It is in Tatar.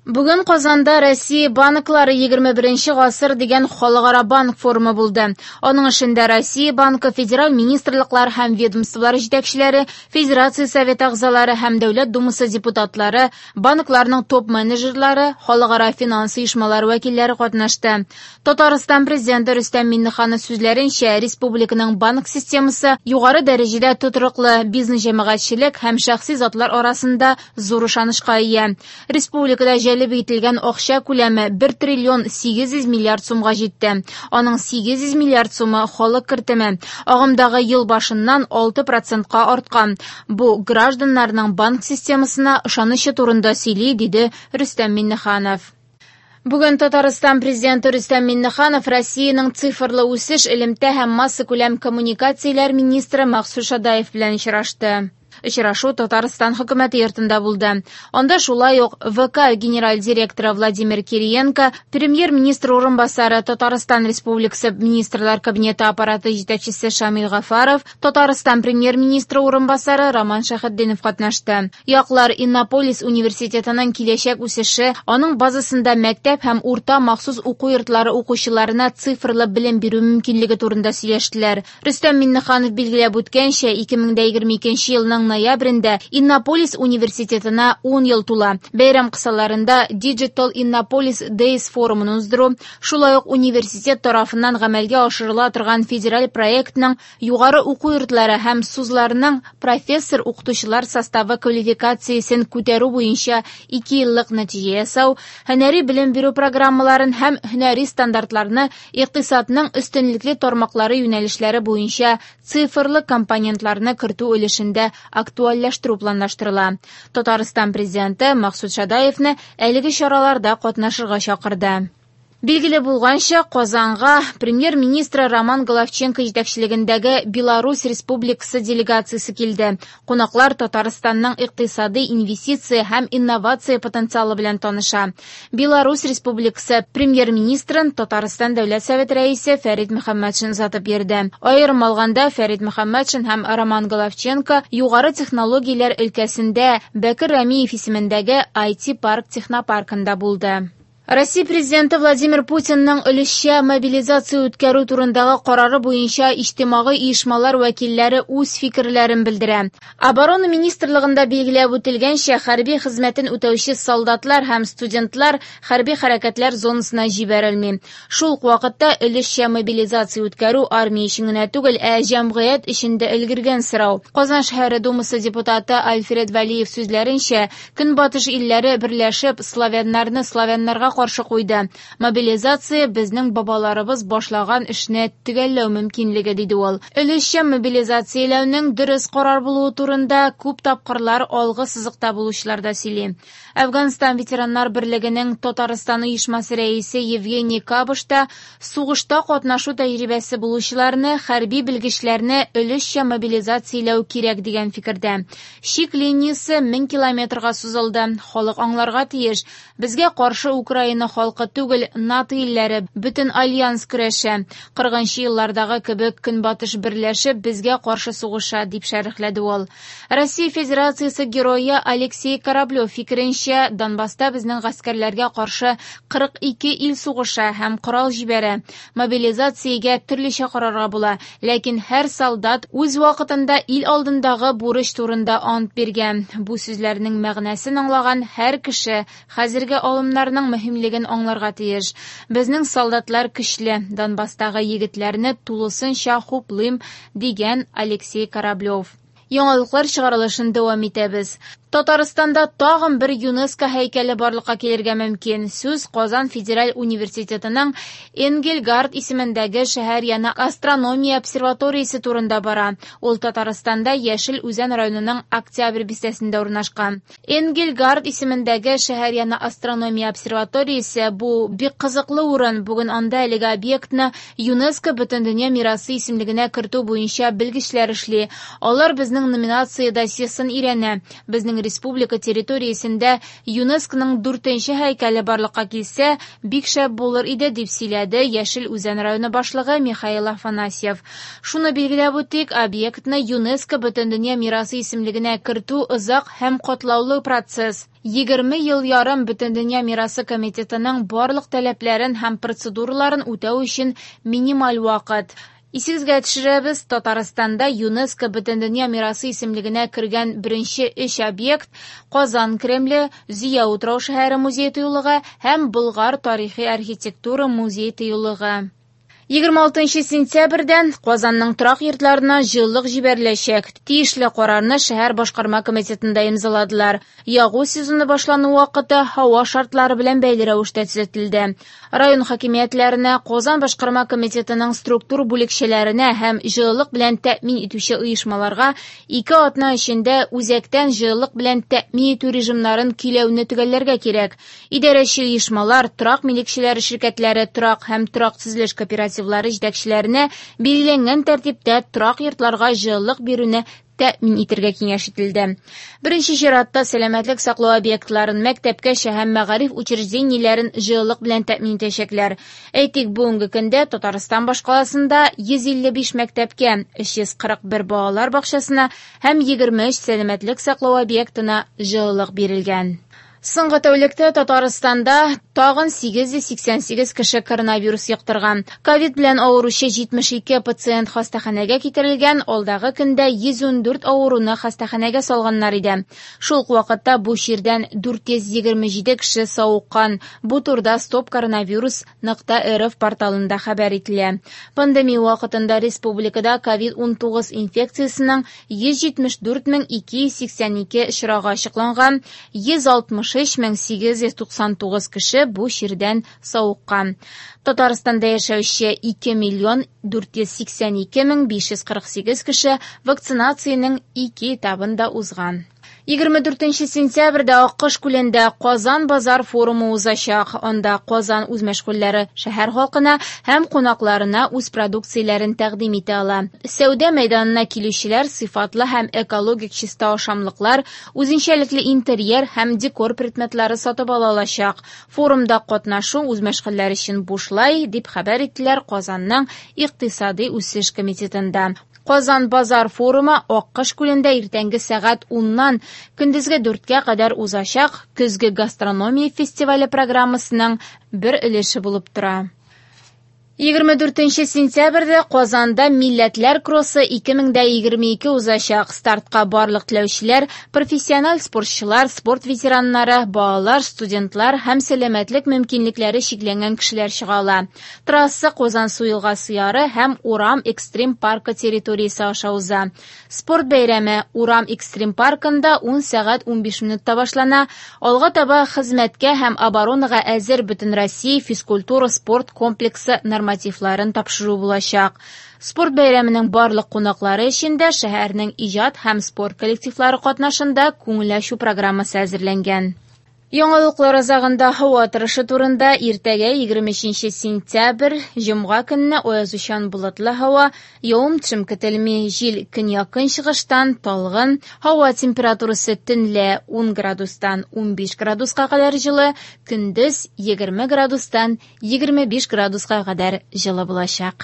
Бүген Казанда Россия банклары 21 гасыр дигән халыкара банк форумы булды. Аның эшендә Россия банкы, федераль министрлыклар һәм ведомстволар җитәкчеләре, Федерация Советы әгъзалары һәм Дәүләт Думасы депутатлары, банкларның топ-менеджерлары, халыкара финанс оешмалары вәкилләре катнашты. Татарстан Президенты Рөстәм Миңнеханов сүзләренчә, республиканың банк системасы югары дәрәҗәдә тотрыклы, бизнес җәмәгатьчелек һәм шәхси затлар арасында зур ышанычка ия. Республикада җәлеп ителгән акча күләме 1 триллион 800 миллиард сумга җитте. Аның 800 миллиард сумы халык кертеме. Агымдагы ел башыннан 6 процентка арткан. Бу гражданнарның банк системасына ышанычы турында сөйли, диде Рөстәм Миңнеханов. Бүген Татарстан Президенты Рөстәм Миңнеханов Россиянең цифрлы үсеш, элемтә һәм массакүләм коммуникацияләр министры Максут Шадаев белән очрашты. Очрашу Татарстан хөкүмәте йортында булды. Анда шулай ук ВК генераль директоры Владимир Кириенко, премьер-министр урынбасары Татарстан Республикасы Министрлар Кабинеты аппараты җитәкчесе Шамил Гафаров, Татарстан премьер-министры урынбасары Роман Шәһетдинов катнашты. Яклар Иннополис университетының киләчәк үсеше, аның базасында мәктәп һәм урта махсус уку йортлары укучыларына цифрлы белем бирү мөмкинлеге турында сөйләштеләр. Рөстәм Миңнеханов билгеләп үткәнчә, 2022 елның ноябрендә Иннополис университетына 10 ел тула. Бәйрәм кысаларында Digital Innopolis Days форумын уздыру, шулай ук университет тарафыннан гамәлгә ашырыла торган федераль проектның югары уку йортлары һәм СУЗларының профессор-укытучылар составы квалификациясен күтәрү буенча 2 еллык нәтиҗә ясау, һөнәри белем бирү программаларын һәм һөнәри стандартларны икътисадның өстенлекле тармаклары юнәлешләре буенча цифрлы компонентларны кертү өлешендә актуальләштерү планлаштырыла. Татарстан Президенты Максут Шадаевны әлеге чараларда катнашырга чакырды. Билгеле булганча, Казанга премьер-министры Роман Головченко җитәкчелегендәге Беларусь Республикасы делегациясе килде. Кунаклар Татарстанның икътисади, инвестиция һәм инновация потенциалы белән таныша. Беларусь Республикасы премьер-министрын Татарстан Дәүләт Советы рәисе Фәрит Мөхәммәтшин озатып йөрде. Аерым алганда, Фәрит Мөхәммәтшин һәм Роман Головченко югары технологияләр өлкәсендә Бәкер Рәмиев исемендәге IT-парк технопаркында булды. Россия Президенты Владимир Путинның өлешчә мобилизация үткәрү турындагы карары буенча иҗтимагый оешмалар вәкилләре үз фикерләрен белдерә. Оборона министрлыгында билгеләп үтелгәнчә, хәрби хезмәтен үтәүче солдатлар һәм студентлар хәрби хәрәкәтләр зонасына җибәрелми. Шул ук вакытта өлешчә мобилизация үткәрү армия өчен генә түгел, ә җәмгыять өчен дә өлгергән сорау. Казан шәһәре Думасы депутаты Альфред Вәлиев сүзләренчә, Көнбатыш илләре берләшеп славяннарны славяннарга каршы куйды. Мобилизация безнең бабаларыбыз башлаган эшне төгәлләү мөмкинлеге, диде ул. Өлешчә мобилизацияләүнең дөрес карар булуы турында күп тапкырлар алгы сызыкта булучылар да сөйли. Әфганстан ветераннар берлегенең Татарстан оешмасы рәисе Евгений Кабыш та сугышта катнашу тәҗрибәсе булучыларны, хәрби белгечләрне өлешчә мобилизацияләү кирәк дигән фикердә. Чик линиясе 1000 километрга сузылды. Халык аңларга тиеш. Безгә каршы Украина халкы түгел, НАТО илләре, бөтен альянс көрәшә. 40 еллардагы кебек Көнбатыш берләшеп безгә каршы сугыша, дип шәрехләде ул. Россия Федерациясе герое Алексей Кораблев фикеренчә, Донбасста безнең гаскәрләргә каршы 42 ил сугыша һәм корал җибәрә. Мобилизациягә төрлечә карарга була, ләкин һәр солдат үз вакытында ил алдындагы бурыч турында ант биргән. Бу сүзләрнең мәгънәсен аңлаган һәр кеше хәзерге алымнарның мөһимлеген аңларга тиеш. Безнең солдатлар көчле, Донбасстагы егетләрне тулысынча хуплыйм, дигән Алексей Кораблев. Яңалыклар чыгарылышын дәвам итәбез. Татарстанда тагын бер ЮНЕСКО һәйкәле барлыкка килергә мөмкин. Сүз Казан федераль университетының Энгельгард исемендәге шәһәр яны астрономия обсерваториясе турында бара. Ул Татарстанда Яшел Үзән районының Октябрь бистәсендә урнашкан. Энгельгард исемендәге шәһәр яны астрономия обсерваториясе бу бик кызыклы урын. Бүген анда әлеге объектны ЮНЕСКО Бөтендөнья мирасы исемлегенә кертү буенча белгечләр эшли. Алар безнең номинация досьесын өйрәнә. Безнең республика территориясендә ЮНЕСКОның дүртенче һәйкәле барлыкка килсә, бик шәп булыр иде, дип сөйләде Яшел Үзән районы башлыгы Михаил Афанасьев. Шуны билгеләп үтик, объектны ЮНЕСКО Бөтендөнья мирасы исемлегенә кертү озак һәм катлаулы процесс. 20 ел ярым Бөтендөнья мирасы комитетының барлык таләпләрен һәм процедураларын үтәү өчен минималь вакыт. Исегезгә төшерәбез, Татарстанда ЮНЕСКО Бөтендөнья мирасы исемлегенә кергән беренче өч объект Казан Кремле, Зөя утрау-шәһәре музей-тыюлыгы һәм Болгар тарихи-архитектура музей-тыюлыгы. 26 сентябрьдән Казанның торак йортларына җылылык җибәреләчәк. Тиешле карарны шәһәр башкарма комитетында имзаладылар. Ягу сезоны башлану вакыты һава шартлары белән бәйле рәвештә төзәтелде. Район хакимиятләренә, Казан башкарма комитетының структур бүлекчәләренә һәм җылылык белән тәэмин итүче оешмаларга ике атна эчендә үзәктән җылылык белән тәэмин итү режимнарын көйләүне төгәлләргә кирәк. Идарәче оешмалар, торак милекчеләре ширкәтләре, торак һәм торак төзелеш кооперативлары җитәкчеләренә билгеләнгән тәртиптә торак йортларга җылылык бирүне тәэмин итәргә киңәш ителде. Беренче чиратта сәламәтлек саклау объектларын, мәктәпкәчә һәм мәгариф учреждениеләрен җылылык белән тәэмин итәчәкләр. Әйтик, бүгенге көндә Татарстан башкаласында 155 мәктәпкә, 341 балалар бакчасына һәм 23 сәламәтлек саклау объектына җылылык бирелгән. Соңгы тәүлектә Татарстанда тагын 888 кеше коронавирус йоктырган. Ковид белән авыручы 72 пациент хастаханәгә китерелгән, алдагы көндә 114 авыруны хастаханәгә салганнар иде. Шул ук вакытта бу чирдән 427 кеше савыккан. Бу турыда stopcoronavirus.rf порталында хәбәр ителә. Пандемия вакытында республикада ковид-19 инфекциясенең 174 282 очрагы ачыкланган, 163 899 кеше бу чирдән савыккан. Татарстанда яшәүче 2 миллион 482 мең 548 кеше вакцинациянең ике этабын да узган. 24 сентябрьдә Аккош күлендә Казан базар форумы узачак. Анда Казан үзмәшгульләре шәһәр халкына һәм кунакларына үз продукцияләрен тәкъдим итә ала. Сәүдә мәйданына килүчеләр сыйфатлы һәм экологик чиста ашамлыклар, үзенчәлекле интерьер һәм декор предметлары сатып ала алачак. Форумда катнашу үзмәшгульләр өчен бушлай, дип хәбәр иттеләр Казанның Икътисади үсеш комитетында. Казан базар форумы Аккош күлендә иртәнге сәгать 10-нан көндезге 4-кә кадәр узачак көзге гастрономия фестивале программасының бер өлеше булып тора. 24 сентябрьдә Казанда Милләтләр кроссы 2022 узачак. Стартка барлык теләүчеләр, профессиональ спортчылар, спорт ветераннары, балалар, студентлар һәм сәламәтлек мөмкинлекләре чикләнгән кешеләр чыга ала. Трасса Казансу елгасы яры һәм Урам экстрим паркы территориясе аша уза. Спорт бәйрәме Урам экстрим паркында 10 сәгать 15 минутта башлана. Алга таба хезмәткә һәм оборонага әзер Бөтенроссия физкультура спорт комплексы нормативларын тапшыру булачак. Спорт бәйрәменең барлык кунаклары өчен дә шәһәрнең иҗат һәм спорт коллективлары катнашында күңел ачу программасы әзерләнгән. Яңалыклар азагында һава торышы турында иртәгә 23 сентябрь, җомга көнне аязучан болытлы һава, явым-төшем көтелми, җил көньяк-көнчыгыштан талгын, һава температурасы төнлә 10 градустан 15 градуска кадәр җылы, көндез 20 градустан 25 градуска кадәр җылы булачак.